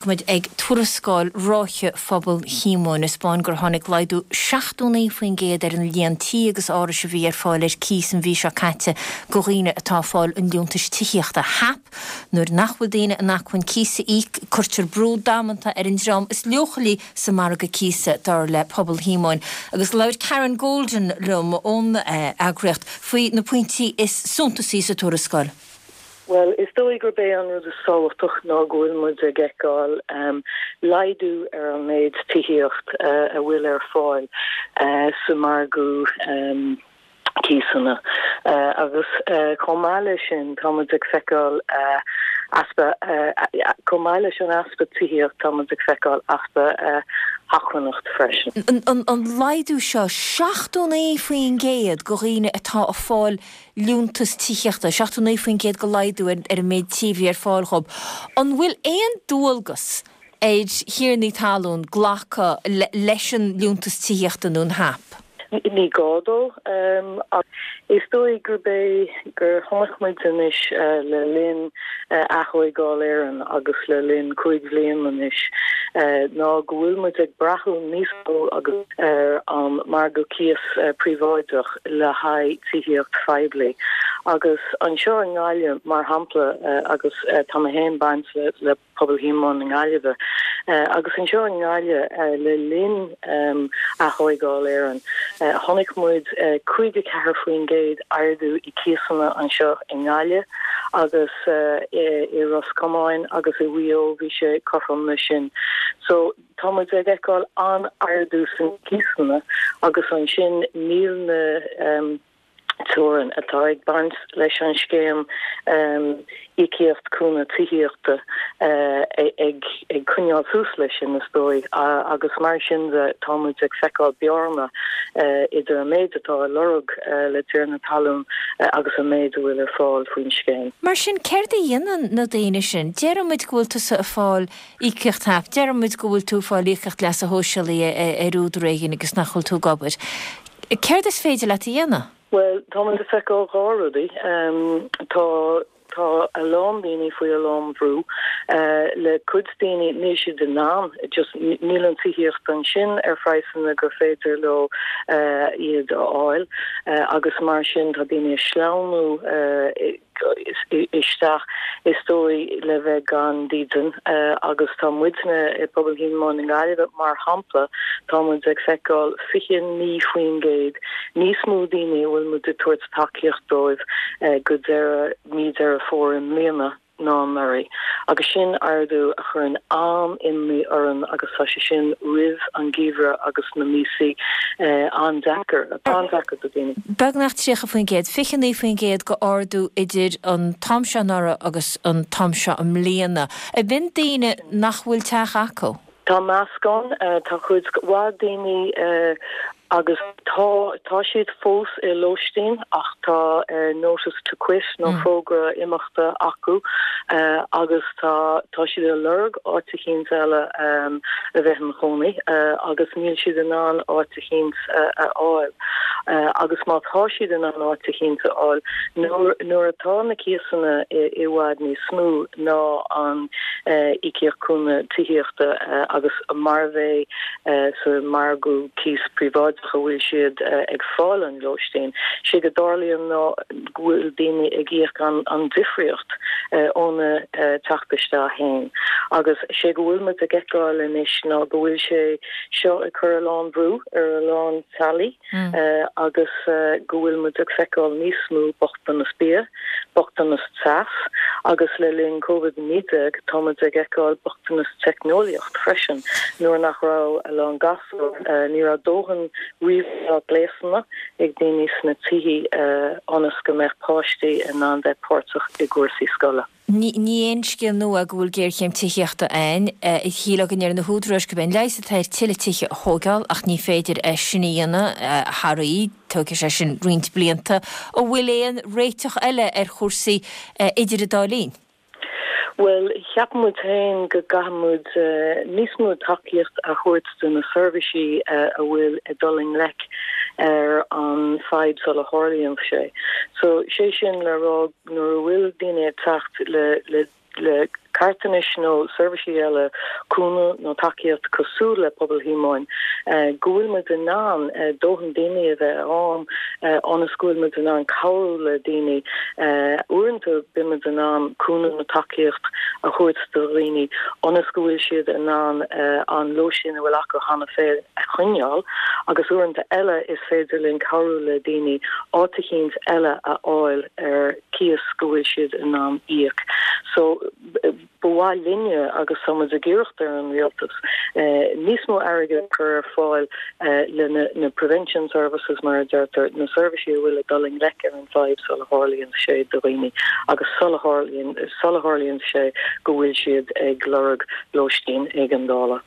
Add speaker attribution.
Speaker 1: Muid ag tuarascáil ráithe Phobal Shíomóin, a 'spáin gur tháinig laghdú 79% ar an líon tí agus árais a bhí ar fáil ar cíos an mhí seo caite go dhaoine atá ag fáil an liúntais tithíochta, HAP. Nuair nach bhfuil daoine in acmhainn cíos a íoc, cuirtear brú damanta ar an dream is leochailí sa margadh cíosa, dar le Pobal Shíomóin. Agus labhair Karen Golden liom ón eagraíocht faoi na pointí is suntasaí sa tuarascáil.
Speaker 2: Bhuel, is dóigh gurb é an rud is tábhachtach ná go bhfuil muid ag feiceáil laghdú ar an méid tithíocht a bhfuil ar fáil sa margadh cíosanna agus chomh maith leis sin tá muid ag feiceáil easpa, chomh maith leis an easpa tithíocht tá muid ag feiceáil easpa acmhainneacht
Speaker 1: freisin. An laghdú seo, 79% go dhaoine atá ag fáil liúntas tithíochta, 79% de laghdú ar an méid tí a bhí ar fáil dhób. An bhfuil aon dualgas ar thiarnaí talún glacadh leis an liúntas tithíochta nó an HAP?
Speaker 2: Ní gá dó ach is dóigh gurb é gur chonaic muid anois le linn Aththóigeáil Éireann agus le linn 5 bhliain anois ná go bhfuil muid ag brath níos mó agus ar an margadh cíos príobháideach le haghaidh tithíocht phoiblí. Agus anseo i nGaillimh, mar shampla, agus tá mé féin baint le Pobal Shíomóin na Gaillimhe, agus anseo i nGaillimh le linn Aththóigeáil Éireann, chonaic muid 54% ardú i cíosanna anseo i nGaillimh agus i Ros Comáin agus i Mhaigh Eo bhí sé cothrom leis sin. So. Tá muid ag feiceáil an-ardú sna cíosanna agus ansin níl na teorainn atá ag baint leis an scéim íocaíocht cúnamh tithíochta ag coinneáil suas leis sin is dóigh agus mar sin de tá muid ag feiceáil bearna idir an méid atá á lorg le tiarna talún agus an méid a bhfuil ar fáil faoin scéim.
Speaker 1: Mar sin céard a dhéanann na daoine sin? Déarfaidh muid go bhfuil tusa ag fáil Íocaíocht HAP. Déarfaidh muid go bhfuil tú ag fáil íocaíocht leasa shóisialaigh ar údar éigin agus nach bhfuil tú ag obair. Céard is féidir leat a dhéanamh?
Speaker 2: Bhuel, tá muid ag feiceáil dhá rudaí. Tá tá a lán daoine faoi a lán bhrú. Le cuid daoine níl siad in ann, just níl an tithíocht ansin ar phraghsanna gur féidir leo iad a fháil agus mar sin tá daoine ag sleamhnú isteach, is dóigh, le bheith gan dídean agus tá muidne i bPobal Shíomóin na Gaillimhe, mar shampla, tá muid ag feiceáil 29% níos mó daoine a bhfuil muid ag tabhairt tacaíocht dóibh go deireadh mí Deireadh Fómhair i mbliana ná anuraidh agus sin ardú a chuireann an-imní orainn agus tá sé sin roimh an gheimhreadh agus na míosaí an-deacair, an-deacair do dhaoine.
Speaker 1: Beagnach 30%, 29% de ardú idir an t-am seo anuraidh agus an t-am seo i mbliana. Ab in daoine nach bhfuil teach acu?
Speaker 2: Tá meascán, tá cuid mhaith daoine agus tá, tá siad fós i lóistín ach tá notice to quit nó fógra imeachta acu agus tá, tá siad ag lorg áit eicínt eile a bheith ina chónaí agus níl siad in ann áit eicínt a fháil agus má tá siad in ann áit eicínt a fháil, nuair atá na cíosanna i bhfad níos mó ná an íocaíocht cúnamh tithíochta agus mar bheith sa margadh cíos príobháideach a bhfuil siad ag fáil an lóistín, sé go dtarlaíonn ná go bhfuil daoine ag íoc an difríocht óna teacht isteach féin agus sé go bhfuil muid ag feiceáil anois ná go bhfuil sé seo ag cur a lán brú ar a lán teaghlaigh agus go bhfuil muid ag feiceáil níos mó bochtanas bia, bochtanas teas agus le linn Covid-19 tá muid ag feiceáil bochtanas teicneolaíocht freisin nuair nach raibh a lán gasúr, ní raibh dóthain ríomhairí gléasanna ag daoine sna tithe ionas go mbeadh páistí in ann bheith páirteach i gcúrsaí scoile.
Speaker 1: Ní aon scéal nua é go bhfuil géarchéim tithíochta ann. Shílfeá go ndeir na húdaráis gurb é an leigheas atá air tuilleadh tithe a thóigeáil ach ní féidir é sin a dhéanamh thar oíche, tógfaidh sé sin roinnt blianta. An bhfuil aon réiteach eile ar chúrsaí idir an dá linn?
Speaker 2: Bhuel, cheap muid féin go gcaithfidh muid níos mó tacaíocht a thabhairt do na seirbhísí a bhfuil ag dul i ngleic ar an fadhb sula tharlaíonn sé. So, sé sin le rá nuair a bhfuil daoine ag teacht le. Le carthanais nó seirbhísí eile, cúnamh nó tacaíocht cosúil le Pobal Shíomóin, go bhfuil muid in ann dóthain daoine a bheith ann ionas go bhfuil muid in ann cabhrú le daoine. Uaireanta bíonn muid in ann cúnamh nó tacaíocht a thabhairt do dhaoine ionas go bhfuil siad in ann an lóistín a bhfuil acu cheana féin a choinneáil agus uaireanta eile is féidir linn cabhrú le daoine áit eicínt eile a fháil ar cíos go bhfuil siad in ann íoc. So, ba mhaith linne, agus tá muid ag iarracht ar an rialtas, níos mó airgid a chur ar fáil le na prevention services mar a deirtear, na seirbhísí a bhfuil ag dul i ngleic ar an bhfadhb sula tharlaíonn sé do dhaoine agus sula tharlaíonn, sula tharlaíonn sé go bhfuil siad ag lorg lóistín éigeandála.